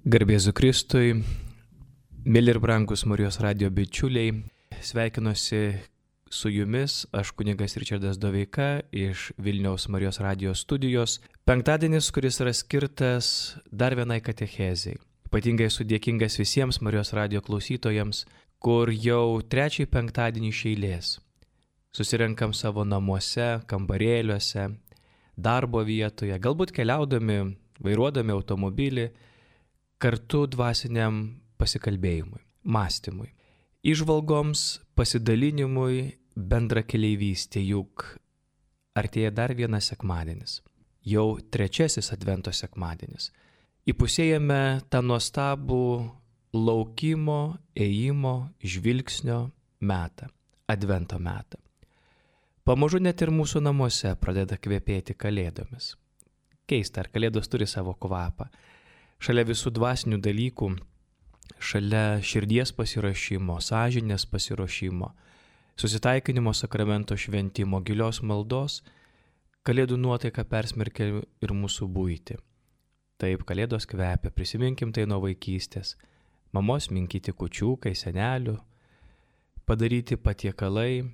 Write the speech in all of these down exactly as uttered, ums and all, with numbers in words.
Garbėzu Kristui, mėly ir brangus Marijos radijo bičiuliai, sveikinuosi su jumis, aš kunigas Ričardas Doveika iš Vilniaus Marijos radijo studijos. Penktadienis, kuris yra skirtas dar vienai katechezei. Ypatingai esu dėkingas visiems Marijos radijo klausytojams, kur jau trečiai penktadienį iš eilės susirenkam savo namuose, kambarėliuose, darbo vietoje, galbūt keliaudami, vairuodami automobilį, kartu dvasiniam pasikalbėjimui, mąstymui, įžvalgoms, pasidalinimui, bendrakeleivystė, juk artėja dar vienas sekmadienis, jau trečiasis Advento sekmadienis. Įpusėjame tą nuostabų laukimo, ėjimo, žvilgsnio metą, Advento metą. Pamažu net ir mūsų namuose pradeda kvepėti kalėdomis. Keista, ar kalėdos turi savo kvapą. Šalia visų dvasinių dalykų, šalia širdies pasiruošimo, sąžinės pasiruošimo, susitaikinimo sakramento šventimo, gilios maldos, kalėdų nuotaika persmerkia ir mūsų buitį. Taip, kalėdos kvepia, prisiminkim tai nuo vaikystės. Mamos minkyti kūčiukai, senelių, padaryti patiekalai,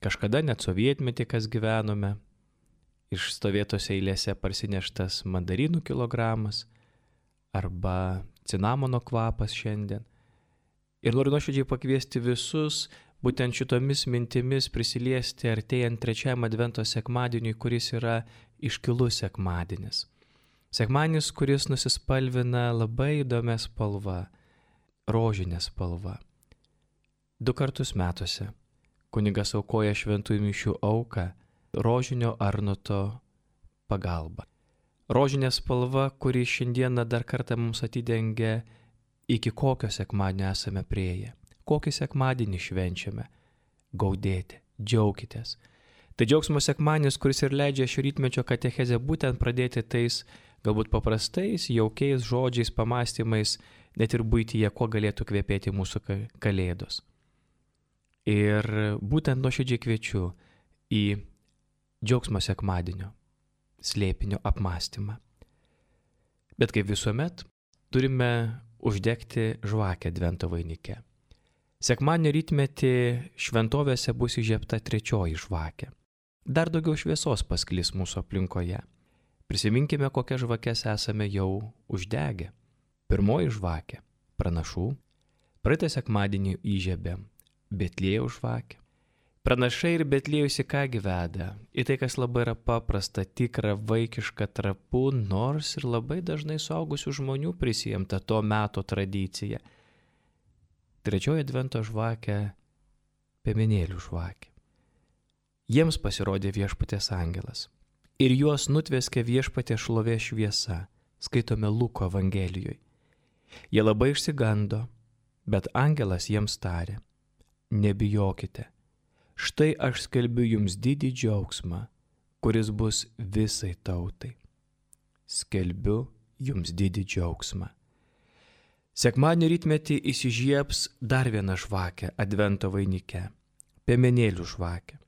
kažkada net sovietmetį, kas gyvenome, iš stovėtose eilėse parsineštas mandarinų kilogramas, arba cinamono kvapas šiandien. Ir noriu nuoširdžiai pakviesti visus būtent šitomis mintimis prisiliesti artėjant trečiajam Advento sekmadieniui, kuris yra iškilus sekmadienis. Sekmadienis, kuris nusispalvina labai įdomia spalva, rožinė spalva. Du kartus metuose kunigas aukoja šventųjų mišių auką rožinio arnoto pagalba. Rožinė spalva, kuri šiandieną dar kartą mums atidengia, iki kokio sekmadienio esame prieėję, kokį sekmadienį švenčiame. Gaudėti, džiaukitės. Tai džiaugsmo sekmadienis, kuris ir leidžia šio rytmečio katechezę būtent pradėti tais galbūt paprastais, jaukiais žodžiais, pamastymais, net ir buityje, kuo galėtų kvepėti mūsų kalėdos. Ir būtent nuoširdžiai kviečiu į džiaugsmo sekmadienio slėpinio apmąstymą. Bet kaip visuomet, turime uždegti žvakę Advento vainike. Sekmadienio rytmetį šventovėse bus įžiebta trečioji žvakė. Dar daugiau šviesos pasklis mūsų aplinkoje. Prisiminkime, kokias žvakes esame jau uždegę. Pirmoji žvakė – pranašų. Praeitą sekmadienį įžiebėm Betliejaus žvakę. Pranašai ir Betliejus į ką veda? Į tai, kas labai yra paprasta, tikra, vaikiška, trapu, nors ir labai dažnai suaugusių žmonių prisijimta to meto tradicija. Trečioji Advento žvakė – piemenėlių žvakė. Jiems pasirodė viešpaties angelas. Ir juos nutveskė viešpaties šlovės šviesa, skaitome Luko Evangelijoje. Jie labai išsigando, bet angelas jiems tarė: nebijokite. Štai aš skelbiu jums didį džiaugsmą, kuris bus visai tautai. Skelbiu jums didį džiaugsmą. Sekmadienio rytmetį įsižiebs dar viena žvakė Advento vainike – piemenėlių žvakė.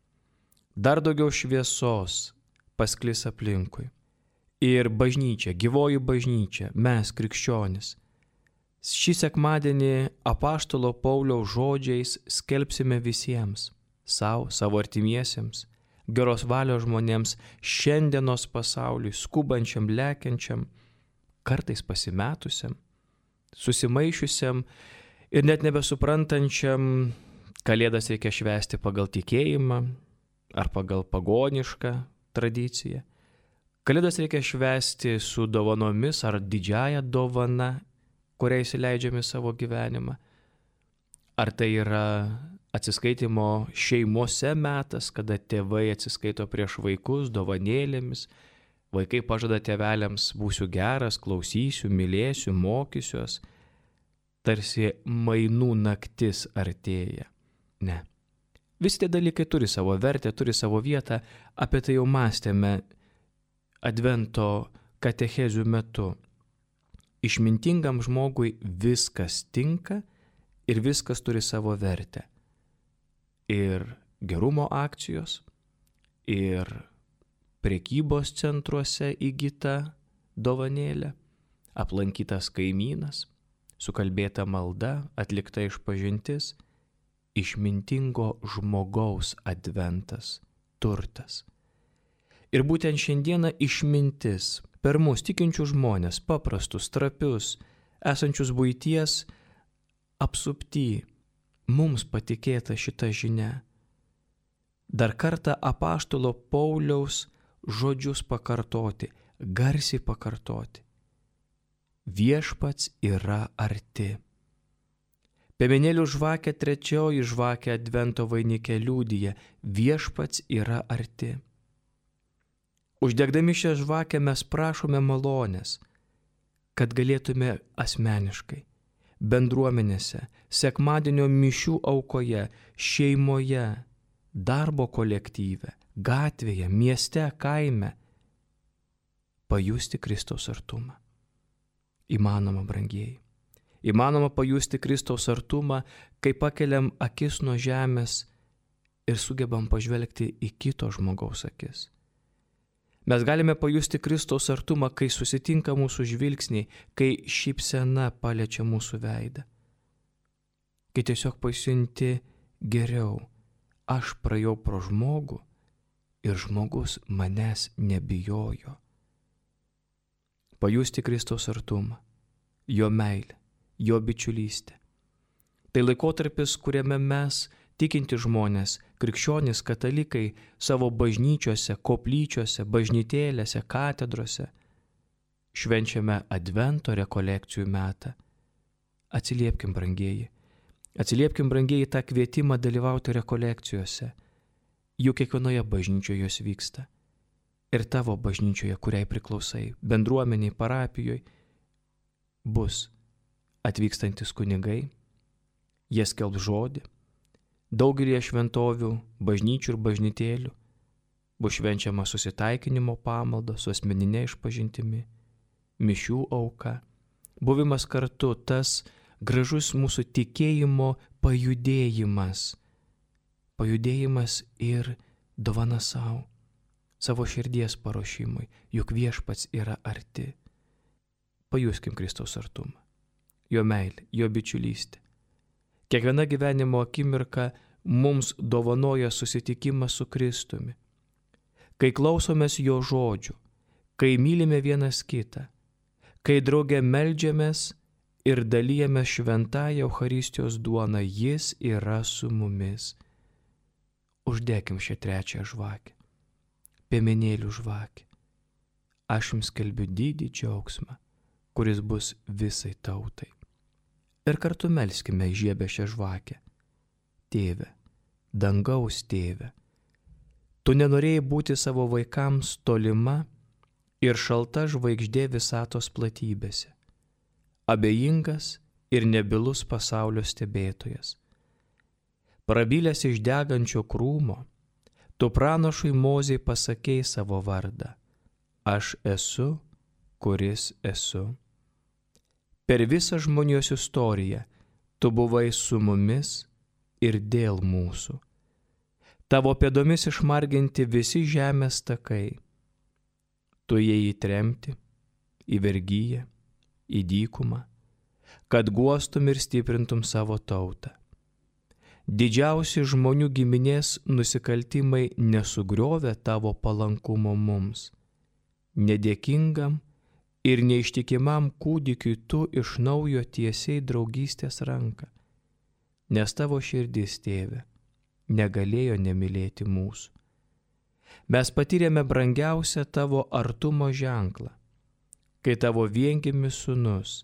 Dar daugiau šviesos pasklis aplinkui. Ir bažnyčia, gyvoji bažnyčia, mes krikščionys. Šį sekmadienį apaštalo Pauliaus žodžiais skelbsime visiems, savo, savo artimiesiems, geros valios žmonėms, šiandienos pasauliui, skubančiam, lekiančiam, kartais pasimetusiam, susimaišiusiam ir net nebesuprantančiam, kalėdas reikia švęsti pagal tikėjimą ar pagal pagonišką tradiciją. Kalėdas reikia švęsti su dovanomis ar didžiaja dovana, kurią įsileidžiame savo gyvenimą. Ar tai yra atsiskaitimo šeimose metas, kada tėvai atsiskaito prieš vaikus dovanėlėmis, vaikai pažada tėveliams: būsiu geras, klausysiu, mylėsiu, mokysiuos. Tarsi mainų naktis artėja. Ne. Visi tie dalykai turi savo vertę, turi savo vietą, apie tai jau mąstėme Advento katechezių metu. Išmintingam žmogui viskas tinka ir viskas turi savo vertę. Ir gerumo akcijos, ir prekybos centruose įgyta dovanėlė, aplankytas kaimynas, sukalbėta malda, atlikta išpažintis, išmintingo žmogaus adventas, turtas. Ir būtent šiandieną išmintis per mus tikinčių žmonės, paprastus, trapius, esančius buities apsupty, mums patikėta šita žinia. Dar kartą apaštalo Pauliaus žodžius pakartoti, garsiai pakartoti. Viešpats yra arti. Piemenėlių žvakė trečioji žvakė advento vainike liudija, viešpats yra arti. Uždegdami šią žvakę mes prašome malonės, kad galėtume asmeniškai, bendruomenėse, sekmadienio mišių aukoje, šeimoje, darbo kolektyve, gatvėje, mieste, kaime pajusti Kristaus artumą. Įmanoma, brangieji. Įmanoma pajusti Kristaus artumą, kai pakeliam akis nuo žemės ir sugebam pažvelgti į kito žmogaus akis. Mes galime pajusti Kristaus artumą, kai susitinka mūsų žvilgsniai, kai šypsena paliečia mūsų veidą. Kai tiesiog pasijunti geriau, aš praėjau pro žmogų ir žmogus manęs nebijojo. Pajusti Kristaus artumą, jo meilę, jo bičiulystę. Tai laikotarpis, kuriame mes, tikinti žmonės, krikščionys, katalikai, savo bažnyčiose, koplyčiose, bažnytėlėse, katedrose švenčiame advento rekolekcijų metą. Atsiliepkim, brangieji. Atsiliepkim, brangieji, tą kvietimą dalyvauti rekolekcijose. Juk kiekvienoje bažnyčioje jos vyksta. Ir tavo bažnyčioje, kuriai priklausai, bendruomeniai, parapijoje, bus atvykstantis kunigai, jie skelbs žodį. Daugelį šventovių, bažnyčių ir bažnytėlių bus švenčiama susitaikinimo pamalda su asmeninė išpažintimi, mišių auka, buvimas kartu, tas gražus mūsų tikėjimo pajudėjimas, pajudėjimas ir dovana savo, savo širdies paruošimui, juk viešpats yra arti. Pajuskim Kristaus artumą, jo meilę, jo bičiulystę. Kiekviena gyvenimo akimirka mums dovanoja susitikimą su Kristumi. Kai klausomės jo žodžių, kai mylime vienas kitą, kai drauge meldžiamės ir dalijame šventąją Eucharistijos duoną, jis yra su mumis. Uždekim šią trečią žvakę, piemenėlių žvakę. Aš jums skelbiu didį džiaugsmą, kuris bus visai tautai. Ir kartu melskime įžiebę šią žvakę. Tėve, dangaus tėve, tu nenorėjai būti savo vaikams tolima ir šalta žvaigždė visatos platybėse, abejingas ir nebylus pasaulio stebėtojas. Prabilęs iš degančio krūmo, tu pranašui Mozei pasakei savo vardą. Aš esu, kuris esu. Per visą žmonijos istoriją tu buvai su mumis ir dėl mūsų. Tavo pėdomis išmarginti visi žemės takai. Tu ėjai į tremtį, į vergyją, į dykumą, kad guostum ir stiprintum savo tautą. Didžiausi žmonių giminės nusikaltimai nesugriovė tavo palankumo mums. Nedėkingam ir neištikimam kūdikiui tu iš naujo tiesiai draugystės ranką, nes tavo širdis, tėve, negalėjo nemylėti mūsų. Mes patyrėme brangiausią tavo artumo ženklą, kai tavo viengimis sūnus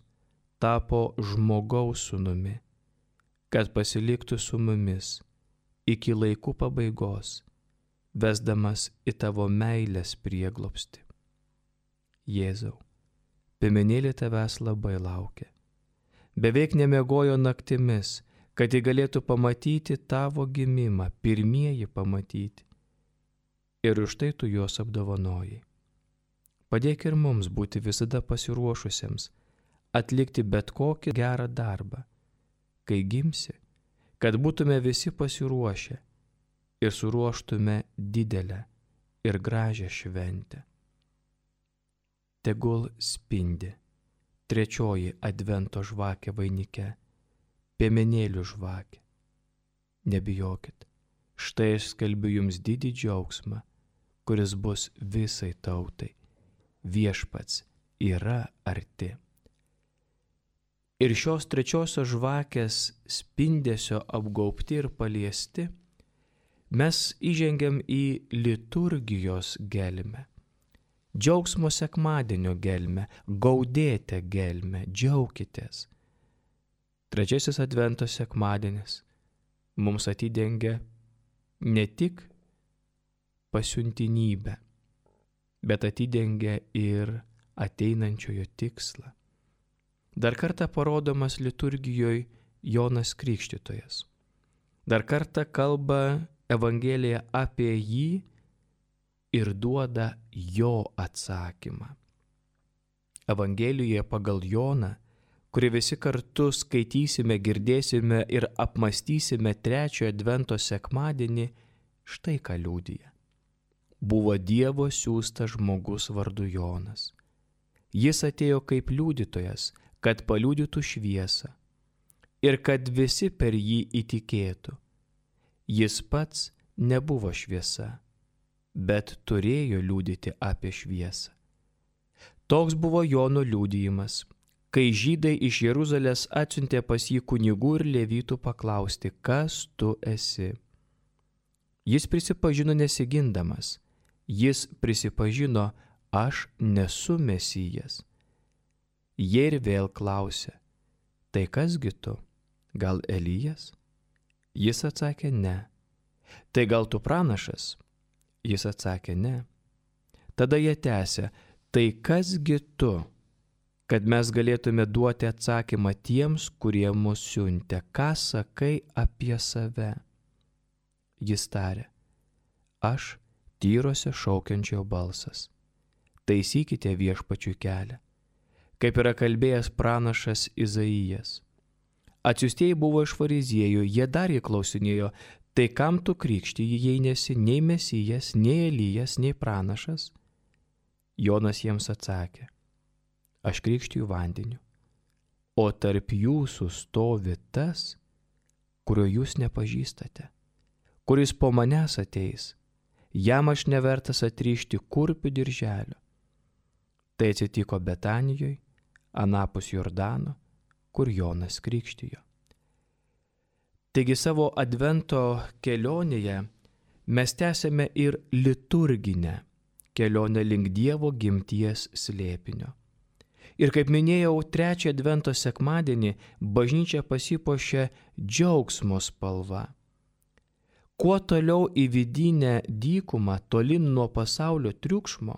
tapo žmogaus sūnumi, kad pasiliktų su mumis iki laikų pabaigos, vesdamas į tavo meilės prieglobstį. Jėzau, piemenėlė tavęs labai laukia. Beveik nemiegojo naktimis, kad jį galėtų pamatyti tavo gimimą, pirmieji pamatyti. Ir už tai tu juos apdovanojai. Padėk ir mums būti visada pasiruošusiems, atlikti bet kokį gerą darbą, kai gimsi, kad būtume visi pasiruošę ir suruoštume didelę ir gražią šventę. Tegul spindi trečioji advento žvakė vainike, piemenėlių žvakė. Nebijokit, štai aš skelbiu jums didį džiaugsmą, kuris bus visai tautai. Viešpats yra arti. Ir šios trečiosios žvakės spindesio apgaubti ir paliesti, mes įžengiam į liturgijos gelmę, džiaugsmo sekmadienio gelmę, gaudėte gelmę, džiaukitės. Trečiasis advento sekmadienis mums atidengia ne tik pasiuntinybę, bet atidengia ir ateinančiojo tikslą. Dar kartą parodomas liturgijoje Jonas Krikštytojas. Dar kartą kalba Evangelija apie jį ir duoda jo atsakymą. Evangelijoje pagal Joną, kurį visi kartu skaitysime, girdėsime ir apmastysime trečiojo advento sekmadienį, štai ką liudija. Buvo Dievo siųstas žmogus vardu Jonas. Jis atėjo kaip liudytojas, kad paliudytų šviesą ir kad visi per jį įtikėtų. Jis pats nebuvo šviesa, bet turėjo liudyti apie šviesą. Toks buvo Jono liudijimas, kai žydai iš Jeruzalės atsiuntė pas jį kunigų ir levitų paklausti, kas tu esi. Jis prisipažino nesigindamas, jis prisipažino, aš nesu Mesijas. Jie ir vėl klausė, tai kasgi tu, gal Elijas? Jis atsakė, ne. Tai gal tu pranašas? Jis atsakė, ne. Tada jie tęsė, tai kasgi tu, kad mes galėtume duoti atsakymą tiems, kurie mus siuntė, ką sakai apie save? Jis tarė, aš tyrose šaukiančio balsas, taisykite viešpačiui kelią, kaip yra kalbėjęs pranašas Izaijas. Atsiųstieji buvo iš fariziejų, jie dar įklausinėjo, tai kam tu krikštiji, jei nesi nei Mesijas, nei Elijas, nei pranašas? Jonas jiems atsakė, aš krikštiju vandeniu, o tarp jūsų stovi tas, kurio jūs nepažįstate, kuris po manęs ateis, jam aš nevertas atrišti kurpių dirželio. Tai atsitiko Betanijoje, anapus Jordano, kur Jonas krikštijo. Taigi savo advento kelionėje mes tęsėme ir liturginę kelionę link Dievo gimties slėpinio. Ir kaip minėjau, trečią advento sekmadienį bažnyčia pasipuošė džiaugsmo spalva. Kuo toliau į vidinę dykumą, tolin nuo pasaulio triukšmo,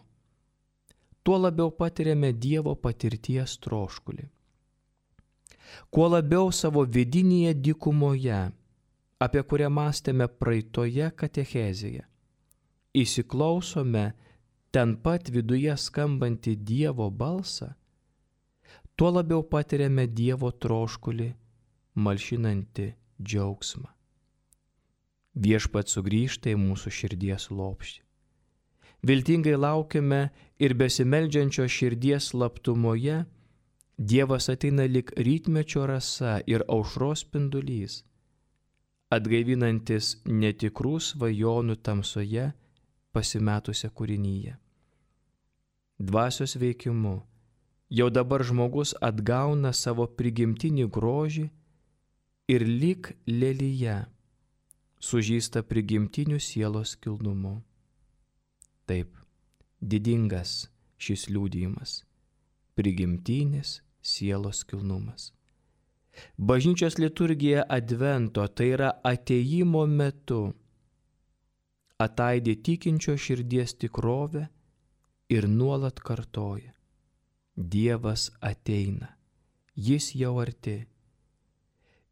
tuo labiau patiriame Dievo patirties troškulį. Kuo labiau savo vidinėje dykumoje, apie kurią mąstėme praeitoje katechezėje, įsiklausome ten pat viduje skambantį Dievo balsą, tuo labiau patiriame Dievo troškulį, malšinantį džiaugsmą. Viešpats sugrįžta į mūsų širdies lopšį. Viltingai laukiame ir besimeldžiančio širdies slaptumoje Dievas ateina lyg rytmečio rasa ir aušros spindulys, atgaivinantis netikrų svajonų tamsoje pasimetusią kūrinyje. Dvasios veikimu jau dabar žmogus atgauna savo prigimtinį grožį ir lyg lelyje sužįsta prigimtiniu sielos kilnumu. Taip, didingas šis liudijimas, prigimtinis sielos kilnumas. Bažnyčios liturgija advento, tai yra atėjimo metu, ataidi tikinčio širdies tikrovę ir nuolat kartoja. Dievas ateina, jis jau arti.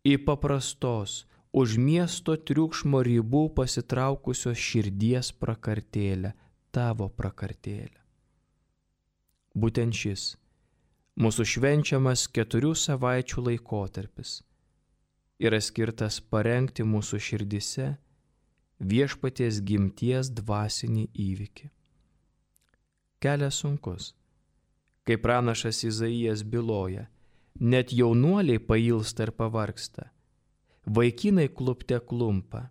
Į paprastos, už miesto triukšmo ribų pasitraukusios širdies prakartėlę, tavo prakartėlę. Būtent šis mūsų švenčiamas keturių savaičių laikotarpis yra skirtas parengti mūsų širdise viešpaties gimties dvasinį įvykį. Kelias sunkus, Kaip pranašas Izaijas byloja, net jaunuoliai pailsta ir pavargsta, vaikinai klupte klumpa,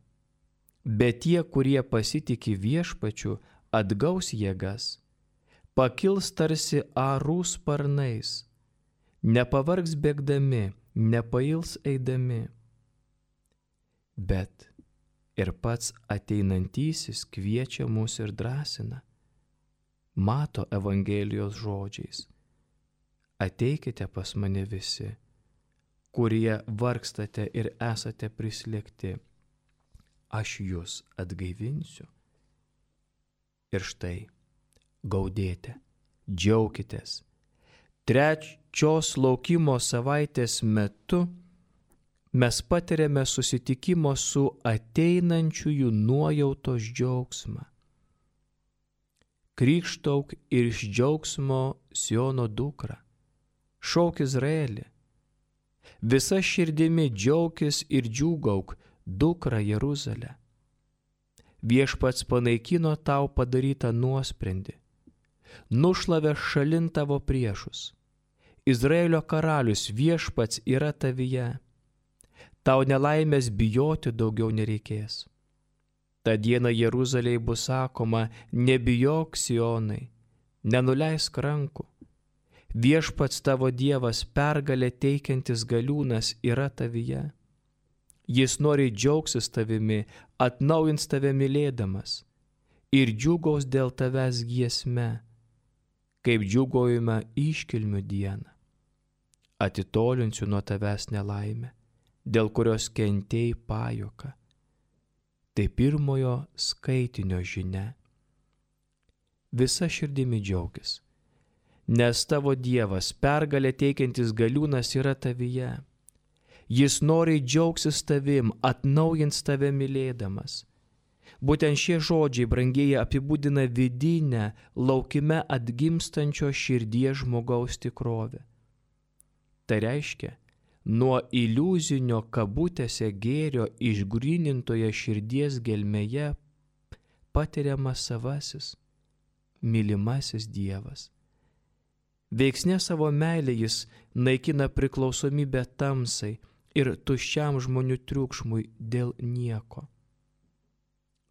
bet tie, kurie pasitiki Viešpačiu, atgaus jėgas, pakils tarsi arų sparnais, nepavargs bėgdami, nepails eidami. Bet ir pats ateinantysis kviečia mus ir drąsina, mato Evangelijos žodžiais: ateikite pas mane visi, kurie vargstate ir esate prislėgti, aš jus atgaivinsiu. Ir štai, gaudėte, džiaukitės. Trečios laukimo savaitės metu mes patiriame susitikimo su ateinančiųjų nuojautos džiaugsmą. Krykštauk ir iš džiaugsmo Siono dukra, šauk Izraelį. Visa širdimi džiaukis ir džiūgauk, dukra Jeruzalė. Viešpats panaikino tau padarytą nuosprendį, nušlavė šalin tavo priešus. Izraelio karalius Viešpats yra tavyje. Tau nelaimės bijoti daugiau nereikės. Ta diena Jeruzalei bus sakoma: nebijok, Sionai, nenuleisk rankų. Viešpats tavo Dievas, pergalę teikiantis galiūnas, yra tavyje. Jis nori džiaugsis tavimi, atnaujins tave mylėdamas ir džiūgaus dėl tavęs giesme, kaip džiūgaujame iškilmių dieną. Atitolinsiu nuo tavęs nelaimę, dėl kurios kentėjai pajuoką. Tai pirmojo skaitinio žinia. Visa širdimi džiaugis, nes tavo Dievas, pergalę teikiantis galiūnas, yra tavyje. Jis nori džiaugsis tavim, atnaujins tave mylėdamas. Būtent šie žodžiai, brangieji, apibūdina vidinę, laukime atgimstančio širdies žmogaus tikrovę. Tai reiškia, nuo iliuzinio kabutėse gėrio išgrynintoje širdies gelmėje patiriamas savasis, mylimasis Dievas. Veiksne savo meilę jis naikina priklausomybę tamsai ir tuščiam žmonių triukšmui dėl nieko.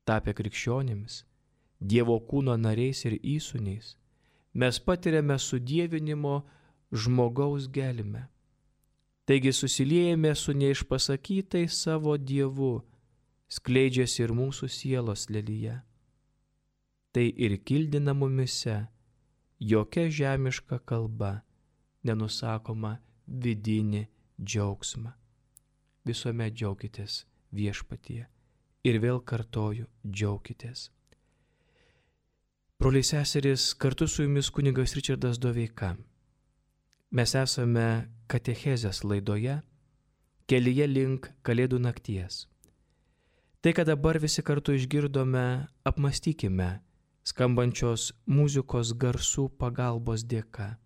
Tapę krikščionimis, Dievo kūno nariais ir įsūniais, mes patiriame sudievinimo žmogaus gelmę. Taigi susiliejame su neišpasakytai savo Dievu, skleidžiasi ir mūsų sielos lelyje. Tai ir kildina mumise jokia žemiška kalba nenusakoma vidinį džiaugsmą. Visuomet džiaukitės Viešpatyje. Ir vėl kartoju, džiaukitės. Broliai seserys, kartu su jumis kunigas Ričardas Doveika. Mes esame katechezės laidoje Kelyje link Kalėdų nakties. Tai, ką dabar visi kartu išgirdome, apmąstykime skambančios muzikos garsų pagalbos dėka.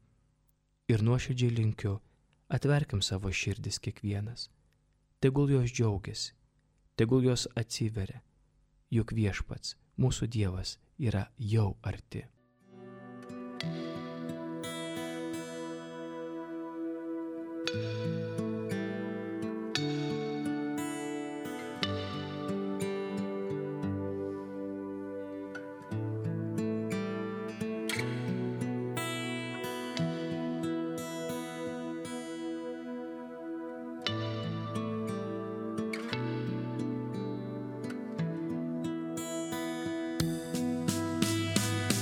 Ir nuoširdžiai linkiu, atverkim savo širdis kiekvienas. Tegul jos džiaugiasi, tegul jos atsiveria, juk Viešpats, mūsų Dievas, yra jau arti.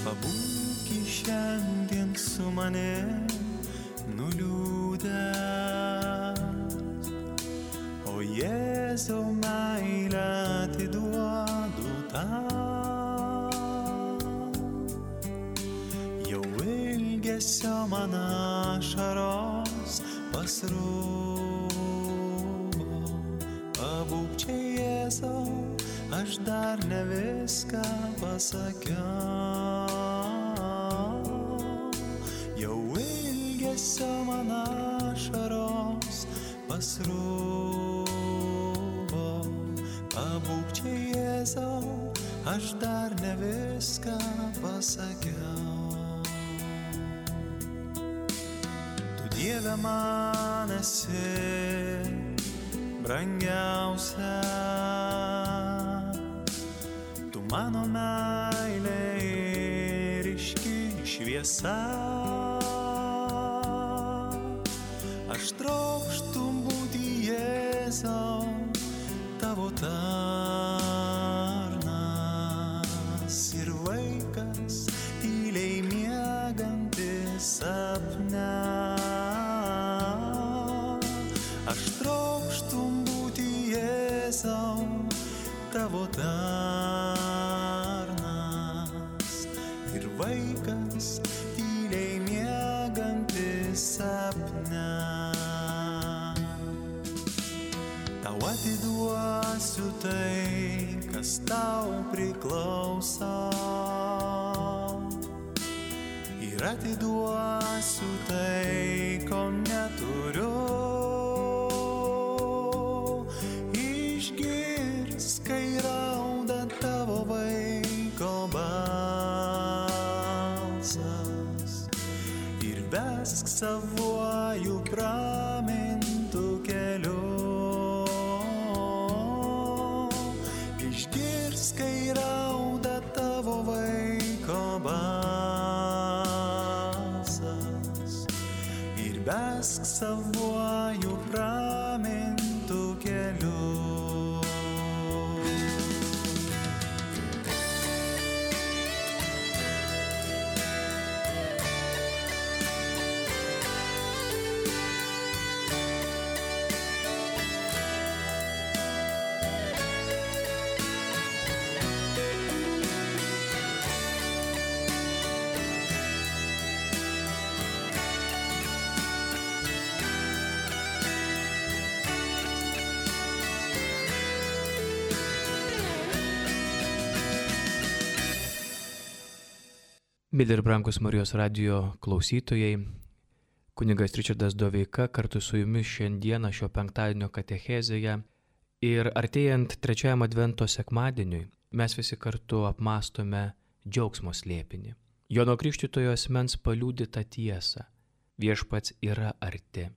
Pabūki šiandien su manim nuliūdęs, o Jėzau meilę atiduodu tau. Jau ilgesio man ašaros pasrūvo, pabūk čia Jėzau, aš dar ne viską pasakiau. Jau ilgesio man ašaros pasrūvo, pabūk čia Jėzau, aš dar ne viską pasakiau. Dieve man esi brangiausia, tu mano meilė ir ryški šviesa. Aš trokštu būti Jėzau, tavo tarnas ir vaikas, tyliai miegantis sapne. Aš trokštu būti Jėzau, tavo tarnas ir vaikas, tyliai miegantis sapne. Tau atiduosiu tai, kas tau priklauso, ir atiduosiu tai, ko neturiu. Išgirsk, kai rauda tavo vaiko balsas, ir vesk savuoju pramintu keliu. Išgirsk, kai rauda tavo vaiko balsas, ir vesk savuoju pramintu keliu. Mėly ir brangus Marijos radijo klausytojai, kunigas Ričardas Doveika kartu su jumis šiandieną šio penktadienio katechezėje ir artėjant trečiajam advento sekmadieniui mes visi kartu apmąstome džiaugsmo slėpinį. Jono Krikštytojo asmens paliudytą tiesą. Viešpats yra arti.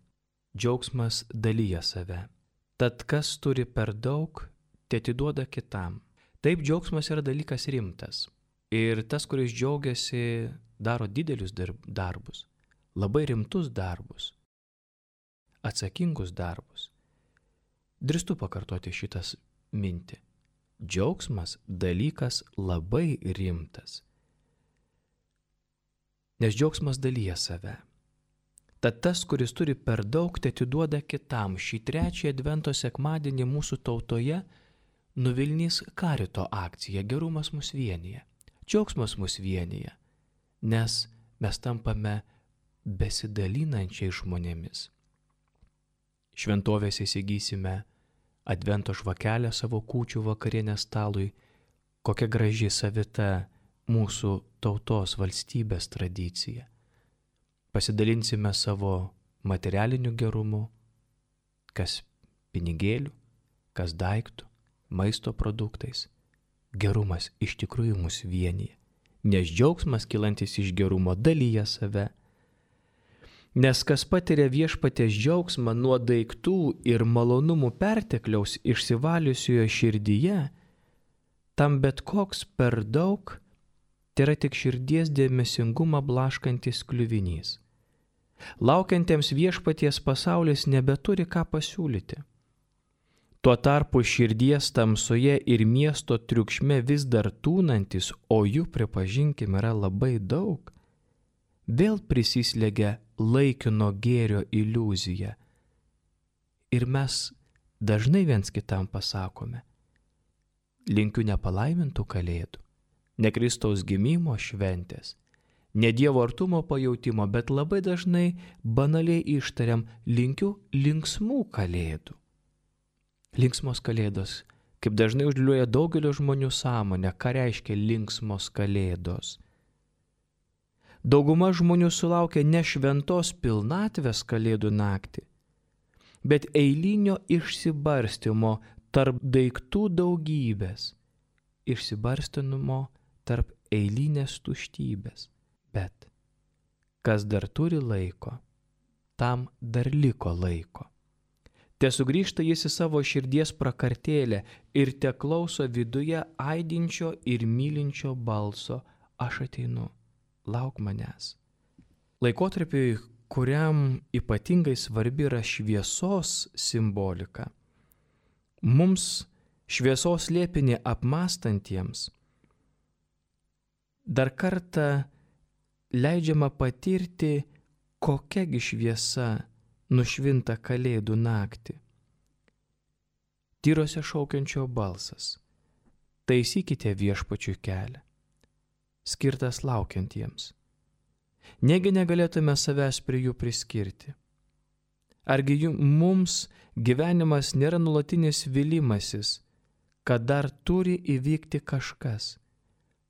Džiaugsmas dalyja save. Tad kas turi per daug, teatiduoda kitam. Taip, džiaugsmas yra dalykas rimtas. Ir tas, kuris džiaugiasi, daro didelius darbus, labai rimtus darbus, atsakingus darbus. Drįstu pakartoti šitas mintį. Džiaugsmas dalykas labai rimtas. Nes džiaugsmas dalyja save. Tad tas, kuris turi per daug, teatiduoda kitam. Šį trečią advento sekmadienį mūsų tautoje nuvilnys karito akcija Gerumas mus vienija. Džiaugsmas mus vienija, nes mes tampame besidalinančiai žmonėmis. Šventovėse įsigysime advento žvakelę savo kūčių vakarienės stalui, kokia graži savita mūsų tautos valstybės tradicija. Pasidalinsime savo materialiniu gerumu, kas pinigėlių, kas daiktų, maisto produktais. Gerumas iš tikrųjų mus vienyje, nes džiaugsmas kylantis iš gerumo dalyja save. Nes kas patiria Viešpaties džiaugsmą nuo daiktų ir malonumų pertekliaus išsivaliusioje širdyje, tam bet koks per daug tai yra tik širdies dėmesingumą blaškantis kliuvinys. Laukiantiems Viešpaties pasaulis nebeturi ką pasiūlyti. Tuo tarpu širdies tamsoje ir miesto triukšme vis dar tūnantis, o jų, pripažinkim, yra labai daug, vėl prisislegia laikino gėrio iliuzija. Ir mes dažnai viens kitam pasakome: linkiu nepalaimintų kalėdų, ne Kristaus gimimo šventės, ne Dievo artumo pajautimo, bet labai dažnai banaliai ištariam: linkiu linksmų kalėdų. Linksmos kalėdos, kaip dažnai užliuoja daugelio žmonių sąmonę, ką reiškia linksmos kalėdos. Dauguma žmonių sulaukia ne šventos pilnatvės kalėdų naktį, bet eilinio išsibarstymo tarp daiktų daugybės, išsibarstymo tarp eilinės tuštybės. Bet kas dar turi laiko, tam dar liko laiko. Te sugrįžta jis į savo širdies prakartėlę ir te klauso viduje aidinčio ir mylinčio balso: aš ateinu, lauk manęs. Laikotarpiui, kuriam ypatingai svarbi yra šviesos simbolika, mums šviesos slėpinį apmąstantiems dar kartą leidžiama patirti, kokiagi šviesa nušvinta kalėdų naktį. Tyrose šaukiančio balsas: taisykite viešpačiui kelią, skirtas laukiantiems. Negi negalėtume savęs prie jų priskirti? Argi jų, mums gyvenimas nėra nuolatinis vylimasis, kad dar turi įvykti kažkas,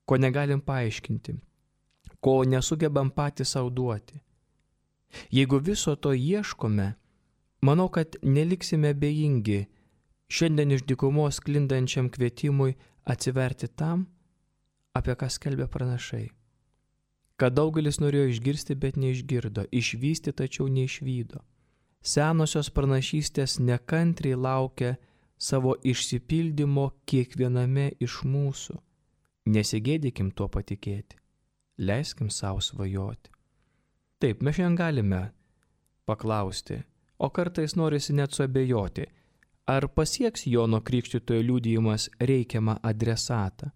ko negalim paaiškinti, ko nesugebam patys sau duoti? Jeigu viso to ieškome, manau, kad neliksime bejingi šiandien iš dykumos sklindančiam kvietimui atsiverti tam, apie ką skelbia pranašai. Kad daugelis norėjo išgirsti, bet neišgirdo, išvysti, tačiau neišvydo. Senosios pranašystės nekantriai laukia savo išsipildymo kiekviename iš mūsų. Nesigėdykim tuo patikėti, leiskim savo svajoti. Taip, mes šiandien galime paklausti, o kartais norisi net suabejoti, ar pasieks Jono Krikštytojo liudijimas reikiamą adresatą.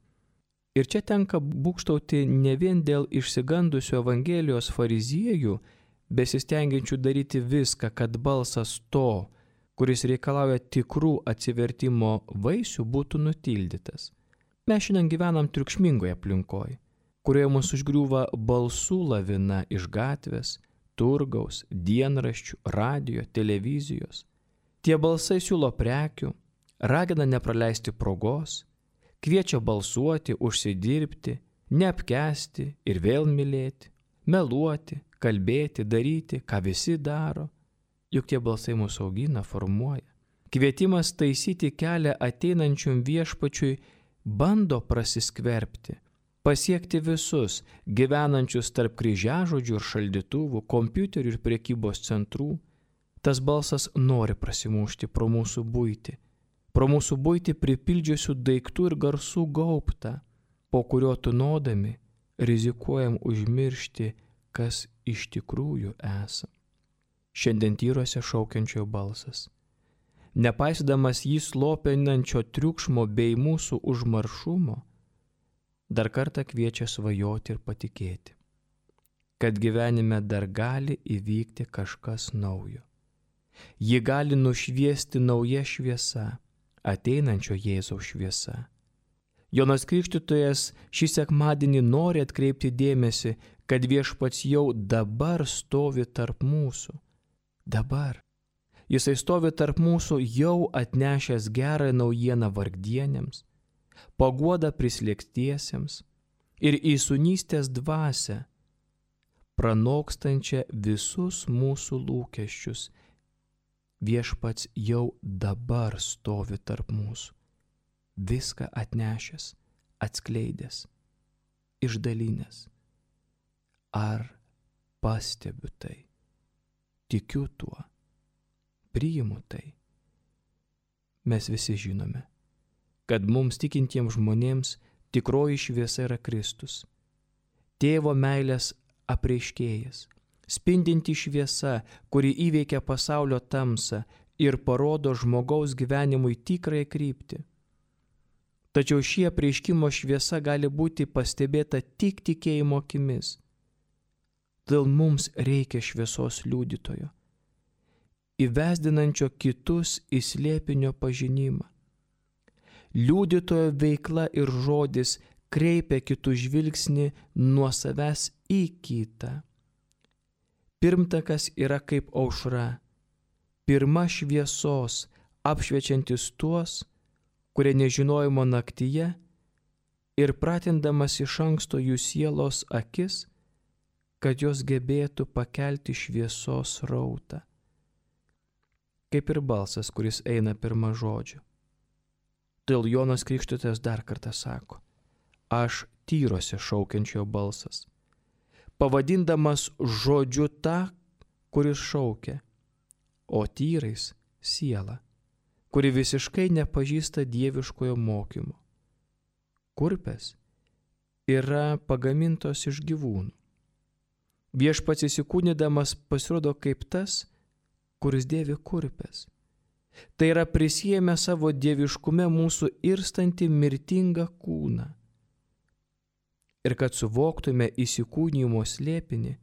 Ir čia tenka būgštauti ne vien dėl išsigandusio Evangelijos fariziejų, besistengiančių daryti viską, kad balsas to, kuris reikalauja tikrų atsivertimo vaisių, būtų nutildytas. Mes šiandien gyvenam triukšmingoje aplinkoje, kurioje mus užgriūva balsų lavina iš gatvės, turgaus, dienraščių, radio, televizijos. Tie balsai siūlo prekių, ragina nepraleisti progos, kviečia balsuoti, užsidirbti, neapkęsti ir vėl mylėti, meluoti, kalbėti, daryti, ką visi daro. Juk tie balsai mūsų augina, formuoja. Kvietimas taisyti kelią ateinančiam viešpačiui bando prasiskverbti, pasiekti visus gyvenančius tarp kryžiažodžių ir šaldytuvų, kompiuterių ir prekybos centrų. Tas balsas nori prasimušti pro mūsų buitį, pro mūsų buitį pripildžiusių daiktų ir garsų gaubtą, po kurio tūnodami rizikuojam užmiršti, kas iš tikrųjų esam. Šiandien tyruose šaukiančio balsas, nepaisydamas jį slopinančio triukšmo bei mūsų užmaršumo, dar kartą kviečia svajoti ir patikėti, kad gyvenime dar gali įvykti kažkas naujo. Ji gali nušviesti nauja šviesa, ateinančio Jėzaus šviesa. Jonas Krikštytojas šį sekmadienį nori atkreipti dėmesį, kad viešpats jau dabar stovi tarp mūsų. Dabar. Jisai stovi tarp mūsų jau atnešęs gerą naujieną vargdienėms, paguodą prislėgstiesiems ir įsūnystės dvasią, pranokstančią visus mūsų lūkesčius. Viešpats jau dabar stovi tarp mūsų, viską atnešęs, atskleidęs, išdalinęs. Ar pastebiu tai? Tikiu tuo, priimu tai. Mes visi žinome, kad mums tikintiems žmonėms tikroji šviesa yra Kristus, tėvo meilės apreiškėjas, spindinti šviesa, kuri įveikia pasaulio tamsą ir parodo žmogaus gyvenimui tikrąją kryptį. Tačiau šie apreiškimo šviesa gali būti pastebėta tik tikėjimo akimis. Todėl mums reikia šviesos liudytojo, įvesdinančio kitus į slėpinio pažinimą. Liudytojo veikla ir žodis kreipia kitų žvilgsnį nuo savęs į kitą. Pirmtakas yra kaip aušra, pirma šviesos, apšviečiantis tuos, kurie nežinojimo naktyje ir pratindamas iš anksto jų sielos akis, kad jos gebėtų pakelti šviesos srautą. Kaip ir balsas, kuris eina pirma žodžiu. Todėl Jonas Krikštytojas dar kartą sako, aš tyrose šaukiančio balsas, pavadindamas žodžiu tą, kuris šaukia, o tyrais siela, kuri visiškai nepažįsta dieviškojo mokymo. Kurpės yra pagamintos iš gyvūnų. Viešpats įsikūnydamas pasirodo kaip tas, kuris dėvi kurpės. Tai yra prisiėmė savo dieviškume mūsų irstantį mirtingą kūną. Ir kad suvoktume įsikūnijimo slėpinį,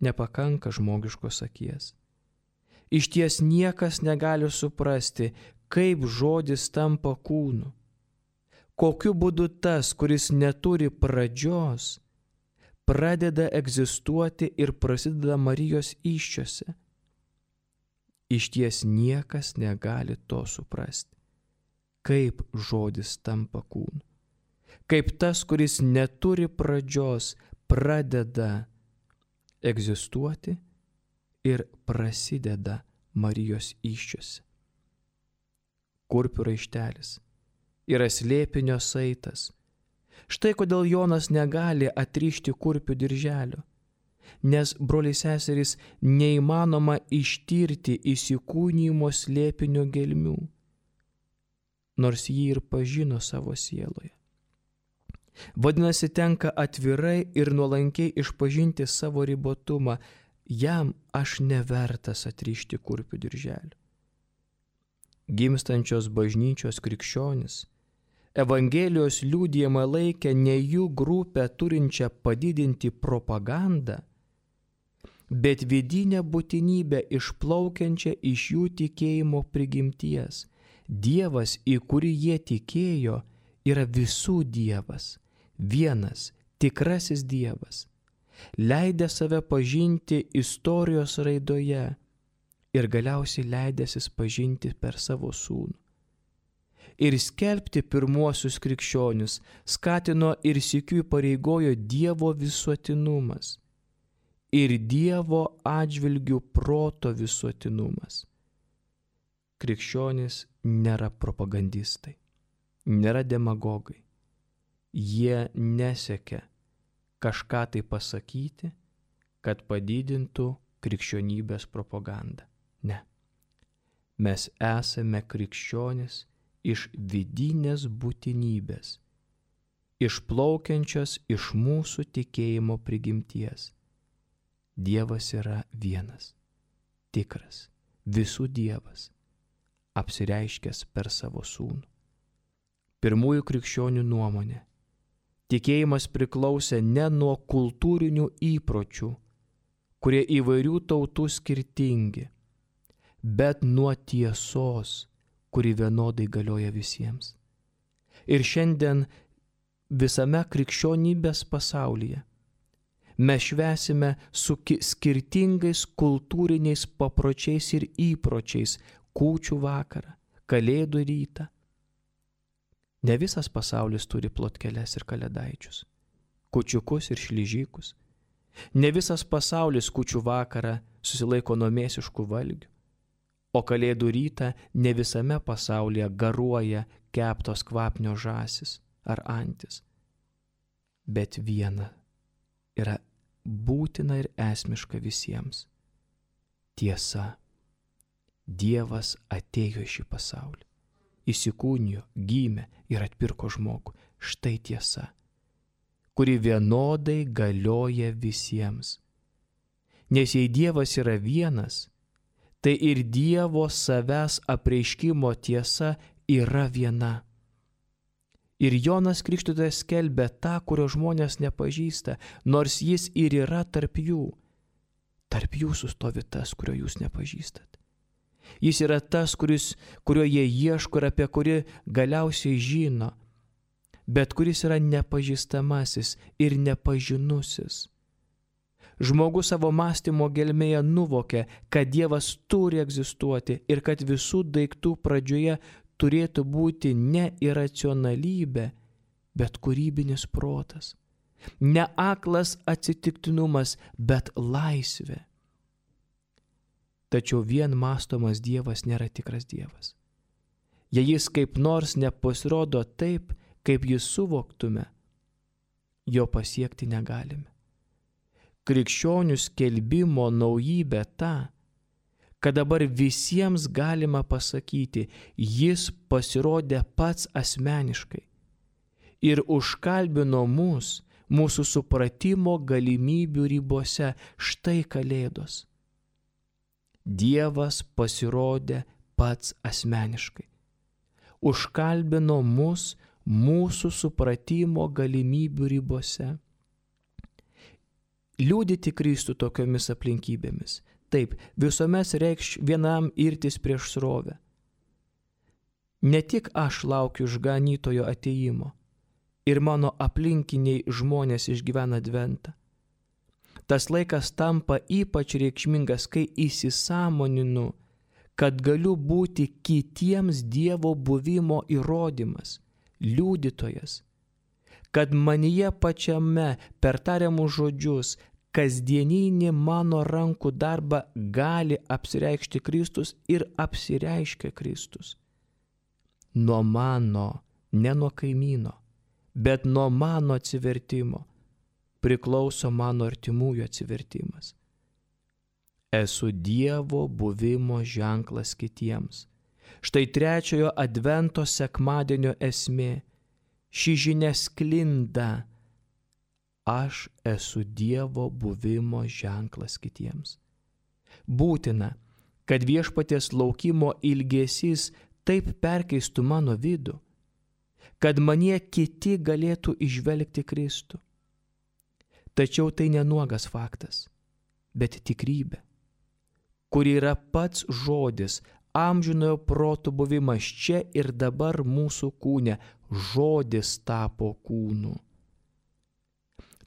nepakanka žmogiškos akies. Iš ties niekas negali suprasti, kaip žodis tampa kūnu. Kokiu būdu tas, kuris neturi pradžios, pradeda egzistuoti ir prasideda Marijos įsčiose. Iš ties niekas negali to suprasti, kaip žodis tampa kūnu. Kaip tas, kuris neturi pradžios, pradeda egzistuoti ir prasideda Marijos įsčiose. Kurpių raištelis yra slėpinio saitas. Štai kodėl Jonas negali atrišti kurpių dirželio, nes, broliai seserys, neįmanoma ištirti įsikūnijimo slėpinio gelmių, nors jį ir pažino savo sieloje. Vadinasi, tenka atvirai ir nuolankiai išpažinti savo ribotumą. Jam aš nevertas atrišti kurpių dirželio. Gimstančios bažnyčios krikščionis Evangelijos liudijimą laikė ne jų grupę turinčią padidinti propagandą, bet vidinę būtinybę išplaukiančią iš jų tikėjimo prigimties. Dievas, į kurį jie tikėjo, yra visų Dievas, vienas, tikrasis Dievas, leidęs save pažinti istorijos raidoje ir galiausiai leidęsis pažinti per savo sūnų. Ir skelbti pirmuosius krikščionius skatino ir sykiu įpareigojo Dievo visuotinumas ir Dievo atžvilgių proto visuotinumas. Krikščionys nėra propagandistai, nėra demagogai. Jie nesiekia kažką tai pasakyti, kad padidintų krikščionybės propagandą. Ne. Mes esame krikščionys iš vidinės būtinybės, išplaukiančios iš mūsų tikėjimo prigimties. Dievas yra vienas, tikras, visų Dievas, apsireiškęs per savo sūnų. Pirmųjų krikščionių nuomonė, tikėjimas priklausė ne nuo kultūrinių įpročių, kurie įvairių tautų skirtingi, bet nuo tiesos, kuri vienodai galioja visiems. Ir šiandien visame krikščionybės pasaulyje mes švęsime su skirtingais kultūriniais papročiais ir įpročiais kūčių vakarą, kalėdų rytą. Ne visas pasaulis turi plotkeles ir kalėdaičius, kūčiukus ir šlyžykus. Ne visas pasaulis kūčių vakarą susilaiko nuo mėsiškų valgių, o kalėdų rytą ne visame pasaulyje garuoja keptos kvapnio žąsis ar antis. Bet viena yra būtina ir esmiška visiems. Tiesa. Dievas atėjo į šį pasaulį, įsikūnijo, gimė ir atpirko žmogų. Štai tiesa, kuri vienodai galioja visiems. Nes jei Dievas yra vienas, tai ir Dievo savęs apreiškimo tiesa yra viena. Ir Jonas Krikštytojas skelbia tą, kurio žmonės nepažįsta, nors jis ir yra tarp jų. Tarp jūsų stovi tas, kurio jūs nepažįstat. Jis yra tas, kuris, kurio jie ieško ir apie kurį galiausiai žino, bet kuris yra nepažįstamasis ir nepažinusis. Žmogus savo mąstymo gelmėje nuvokia, kad Dievas turi egzistuoti ir kad visų daiktų pradžioje turėtų būti ne iracionalybė, bet kūrybinis protas. Ne aklas atsitiktinumas, bet laisvė. Tačiau vien mąstomas Dievas nėra tikras Dievas. Jei jis kaip nors nepasirodo taip, kaip jis suvoktume, jo pasiekti negalime. krikščionių skelbimo naujybė ta, kad dabar visiems galima pasakyti, jis pasirodė pats asmeniškai ir užkalbino mus mūsų supratimo galimybių ribose. Štai Kalėdos. Dievas pasirodė pats asmeniškai. Užkalbino mus mūsų supratimo galimybių ribose. Liudyti Kristų tokiomis aplinkybėmis. Taip, visuomet reikš vienam irtis prieš srovę. Ne tik aš laukiu išganytojo atėjimo, ir mano aplinkiniai žmonės išgyvena adventą. Tas laikas tampa ypač reikšmingas, kai įsisąmoninu, kad galiu būti kitiems Dievo buvimo įrodymas, liudytojas, kad manyje pačiame per tariamus žodžius kasdieninį mano rankų darbą gali apsireikšti Kristus ir apsireiškia Kristus. Nuo mano, ne nuo kaimyno, bet nuo mano atsivertimo priklauso mano artimųjų atsivertimas. Esu Dievo buvimo ženklas kitiems. Štai trečiojo advento sekmadienio esmė. Ši žinia sklinda. Aš esu Dievo buvimo ženklas kitiems. Būtina, kad viešpaties laukimo ilgesys taip perkeistų mano vidų, kad manie kiti galėtų įžvelgti Kristų. Tačiau tai nenuogas faktas, bet tikrybė, kuri yra pats žodis, amžinojo proto buvimas čia ir dabar mūsų kūne. Žodis tapo kūnu.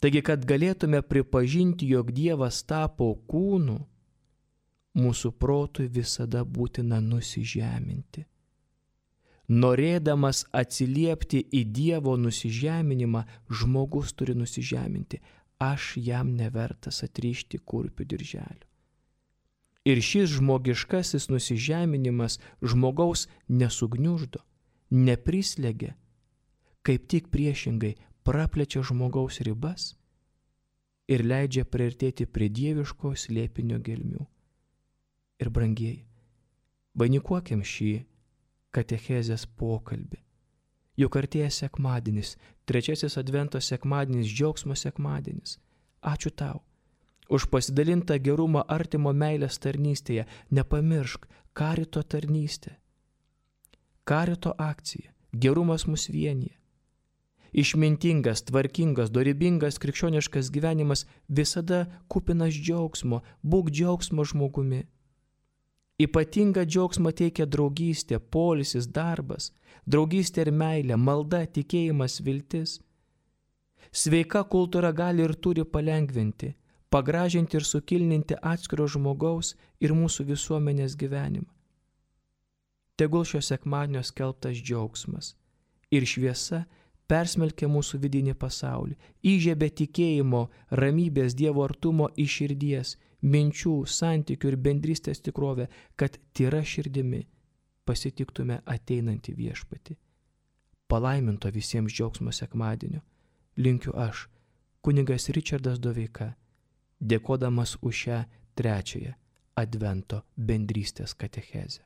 Taigi, kad galėtume pripažinti, jog Dievas tapo kūnu, mūsų protui visada būtina nusižeminti. Norėdamas atsiliepti į Dievo nusižeminimą, žmogus turi nusižeminti. Aš jam nevertas atrišti kurpių dirželių. Ir šis žmogiškasis nusižeminimas žmogaus nesugniuždo, neprislegia, kaip tik priešingai praplečia žmogaus ribas ir leidžia priartėti prie dieviško slėpinio gelmių. Ir brangieji, vainikuokim šį katechezės pokalbį. Juk artėja sekmadienis, trečiasis advento sekmadienis, džiaugsmo sekmadienis. Ačiū tau už pasidalintą gerumą artimo meilės tarnystėje. Nepamiršk, karito tarnystė, karito akcija, gerumas mus vienyje. Išmintingas, tvarkingas, dorybingas krikščioniškas gyvenimas visada kupinas džiaugsmo. Būk džiaugsmo žmogumi. Ypatingą džiaugsmą teikia draugystė, poilsis, darbas, draugystė ir meilė, malda, tikėjimas, viltis. Sveika kultūra gali ir turi palengvinti, pagražinti ir sukilninti atskiro žmogaus ir mūsų visuomenės gyvenimą. Tegul šio sekmadienio skelbtas džiaugsmas ir šviesa persmelkia mūsų vidinį pasaulį, įžiebia tikėjimo, ramybės, Dievo artumo iš širdies, minčių, santykių ir bendrystės tikrovę, kad tyra širdimi pasitiktume ateinantį viešpatį. Palaiminto visiems džiaugsmo sekmadienio linkiu aš, kunigas Ričardas Doveika, dėkodamas už šią trečiąją advento bendrystės katechezę.